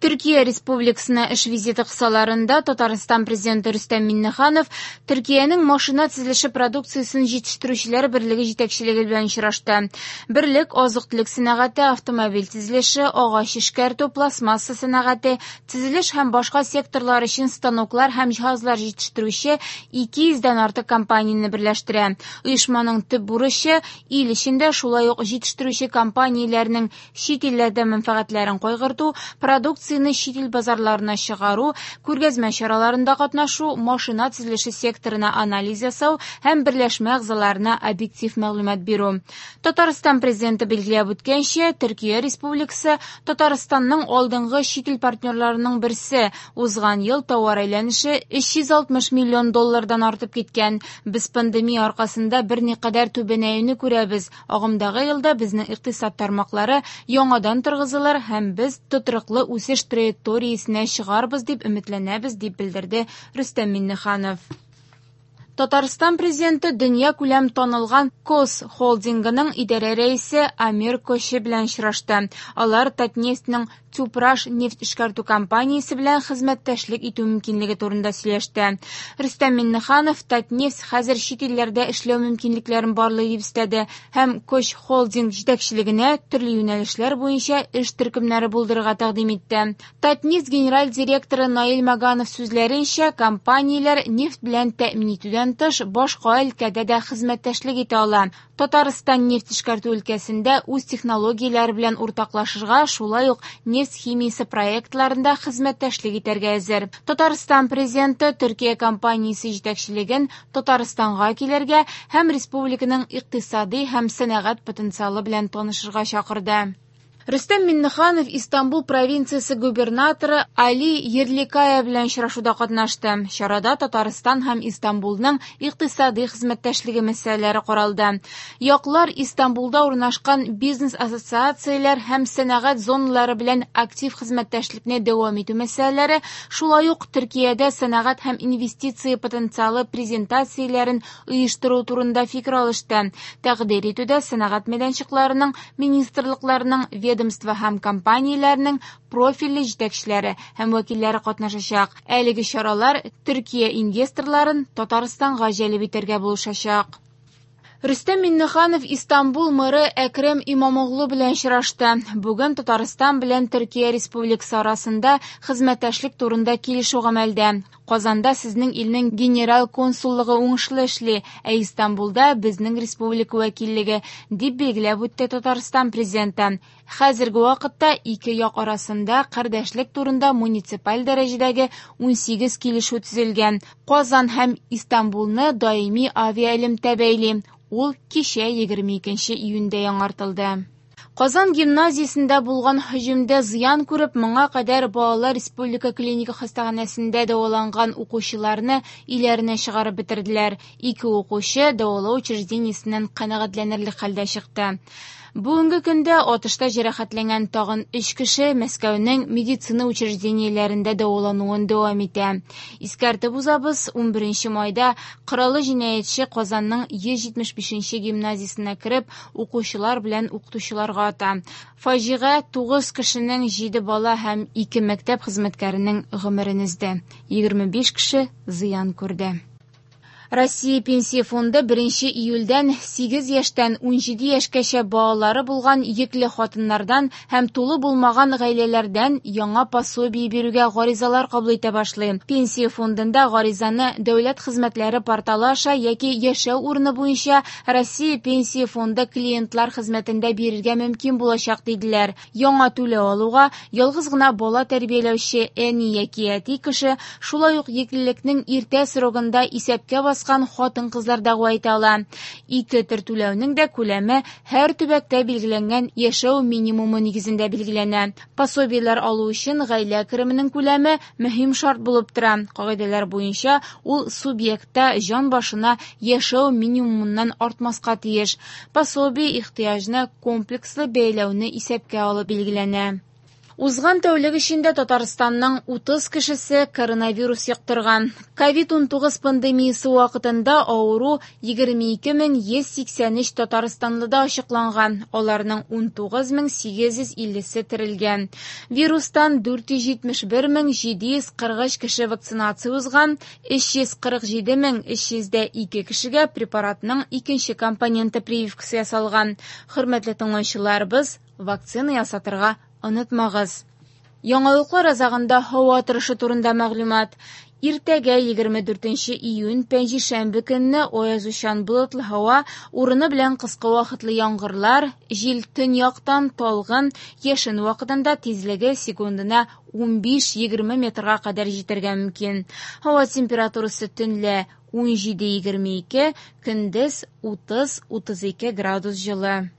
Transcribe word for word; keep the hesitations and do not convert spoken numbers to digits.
Төркия Республикасына эш визиты кысаларында Татарстан Президенты Рөстәм Миңнеханов Төркиянең машина төзелеше продукциясен җитештерүчеләр берлеге җитәкчелеге белән очрашты. Берлек азык-төлек сәнәгате, автомобиль төзелеше, агач эшкәртү, пластмасса сәнәгате, төзелеш һәм башка секторлар өчен станоклар һәм җиһазлар җитештерүче ике йөздән артык компанияне берләштерә. Оешманың төп бурычы ил эчендә шулай ук җитештерүче компанияләрнең чит илләрдә мәнфәгатьләрен кайгырту, продукция чит ил базарларына чыгару, күргәзмә чараларында катнашу, машина төзелеше секторына анализ ясау һәм берләшмә әгъзаларына объектив мәгълүмат бирү. Татарстан Президенты билгеләп үткәнчә, Төркия Республикасы Татарстанның алдынгы чит ил партнерларының берсе. Узган ел товар әйләнеше өч йөз алтмыш миллион доллардан артып киткән. Без пандемия аркасында берникадәр түбәнәюне күрәбез. Агымдагы елда безнең икътисад тармаклары яңадан торгызылыр һәм без тотрыклы үсеш траекториясенә чыгарбыз дип өметләнәбез, дип белдерде Рөстәм Миңнеханов. Татарстан Президенты дөнья күләм танылган Кос холдингының идарә рәисе Амир Коши белән очрашты. Алар Татнефтьнең Тюпраш нефть эшкәртү компаниясе белән хезмәттәшлек итү мөмкинлеге турында сөйләште. Рөстәм Миңнеханов Татнефть хәзер чит илләрдә эшләү мөмкинлекләрен барлый дип өстәде һәм Кош холдинг җитәкчелегенә төрле юнәлешләр буенча эш төркемнәре булдырырга тәкъдим итте. Татнефть генераль директоры Наил Маганов сүзләренчә, компанияләр нефть белән тәэмин итүдән тыш башка өлкәдә дә хезмәттәшлек итә ала. Татарстан нефть эшкәртү өлкәсендә үз технологияләре белән уртаклашырга, шулай ук нефть химиясе проектларында хезмәттәшлек итәргә әзер. Татарстан Президенты Төркия компаниясе җитәкчелеген Татарстанга килергә һәм республиканың икътисади һәм сәнәгать потенциалы белән танышырга чакырды. Рөстәм Миңнеханов Истанбул провинциясе губернаторы Али Ерликая белән очрашуда катнашты. Чарада Татарстан һәм Истанбулның икътисади хезмәттәшлеге мәсьәләләре каралды. Яклар Истанбулда урнашкан бизнес ассоциацияләр һәм сәнәгать зоналары белән актив хезмәттәшлекне дәвам итү мәсьәләләре, шулай ук Төркиядә сәнәгать һәм инвестиция потенциалы презентацияләрен оештыру турында фикер алышты. Тәкъдир итүдә сәнәгать мәйданчыкларының, министрлыкларының, ведомство һәм компанияләрнең профильле җитәкчеләре һәм вәкилләре катнашачак. Әлеге чаралар Төркия инвесторларын Татарстанга җәлеп итәргә булышачак. Рөстәм Миңнеханов Истанбул мэры Әкрәм Имамоглу белән очрашты. Бүген Татарстан белән Төркия Республикасы арасында хезмәттәшлек турында килешү гамәлдә. Казанда сезнең илнең генераль консуллыгы уңышлы эшли, ә Истанбулда безнең республика вәкиллеге, дип билгеләп үтте Татарстан Президенты. Хәзерге вакытта ике як арасында кардәшлек турында муниципаль дәрәҗәдәге унсигез килешү төзелгән. Казан һәм Истанбулны даими авиаэлемтә бәйли. Ул кичә егерме икенче июньдә яңартылды. Казан гимназиясендә булган һөҗүмдә зыян күреп, моңа кадәр балалар республика клиника хастаханәсендә дәваланган укучыларны өйләренә чыгарып бетерделәр. Ике укучы дәвалау учреждениесеннән канәгатьләнерлек хәлдә чыкты. Бүгенге көндә атышта җәрәхәтләнгән тагын өч кеше Мәскәүнең медицина учреждениеләрендә дәвалануын дәвам итә. Искәртеп узабыз, унберенче майда кораллы җинаятьче Казанның йөз җитмеш бишенче гимназиясенә кереп, укучылар белән укытучыларга ата. Фаҗига тугыз кешенең җиде бала һәм ике мәктәп хезмәткәренең гомерен өзде. Егерме биш кеше зыян күрде. Россия Пенсия фонды беренче июльдән сигез яшьтән унҗиде яшькәчә балалары булган йөкле хатыннардан һәм тулы булмаган гаиләләрдән яңа пособие бирүгә гаризалар кабул итә башлый. Пенсия фондында гаризаны дәүләт хезмәтләре порталы аша яки яшәү урыны буенча Россия Пенсия фонды клиентлар хезмәтендә бирергә мөмкин булачак, диделәр. Яңа түләү алуга ялгыз гына бала тәрбияләүче әни яки әти кеше, шулай ук йөклелекнең иртә срогында исәпкә баскан хатын-кызлар дәгъва итә ала. Ике төр түләүнең дә күләме һәр төбәктә билгеләнгән яшәү минимумы нигезендә билгеләнә. Пособиеләр алу өчен гаилә кеременең күләме мөһим шарт булып тора. Кагыйдәләр буенча ул субъектта җан башына яшәү минимумыннан артмаска тиеш. Пособие ихтыяҗны комплекслы бәяләүне исәпкә алып билгеләнә. Узган тәүлек эчендә Татарстанның утыз кешесе коронавирус йоктырган. ковид унтугыз пандемиясе вакытында авыру егерме ике мең йөз сиксән өч татарстанлыда ачыкланган. Аларның унтугыз мең сигез йөз иллесе терелгән. Вирустан дүрт йөз җитмеш бер мең җиде йөз кырык өч кеше вакцинация узган, өч йөз кырык җиде мең өч йөз дә ике кешегә препаратның икенче компоненты прививкасы ясалган. Хөрмәтле тыңлаучыларыбыз, вакцина ясатырга онытмагыз. Яңалыклар азагында һава торышы турында мәгълүмат. Иртәгә егерме дүртенче июнь пәнҗешәмбе көнне аязучан болытлы һава, урыны белән кыска вакытлы яңгырлар, җил төньяктан талгын, яшен вакытында тизлеге секундына унбиш-егерме метрга кадәр җитәргә мөмкин. Һава температурасы төнлә ун җиде-егерме ике, көндез утыз-утыз ике градус җылы.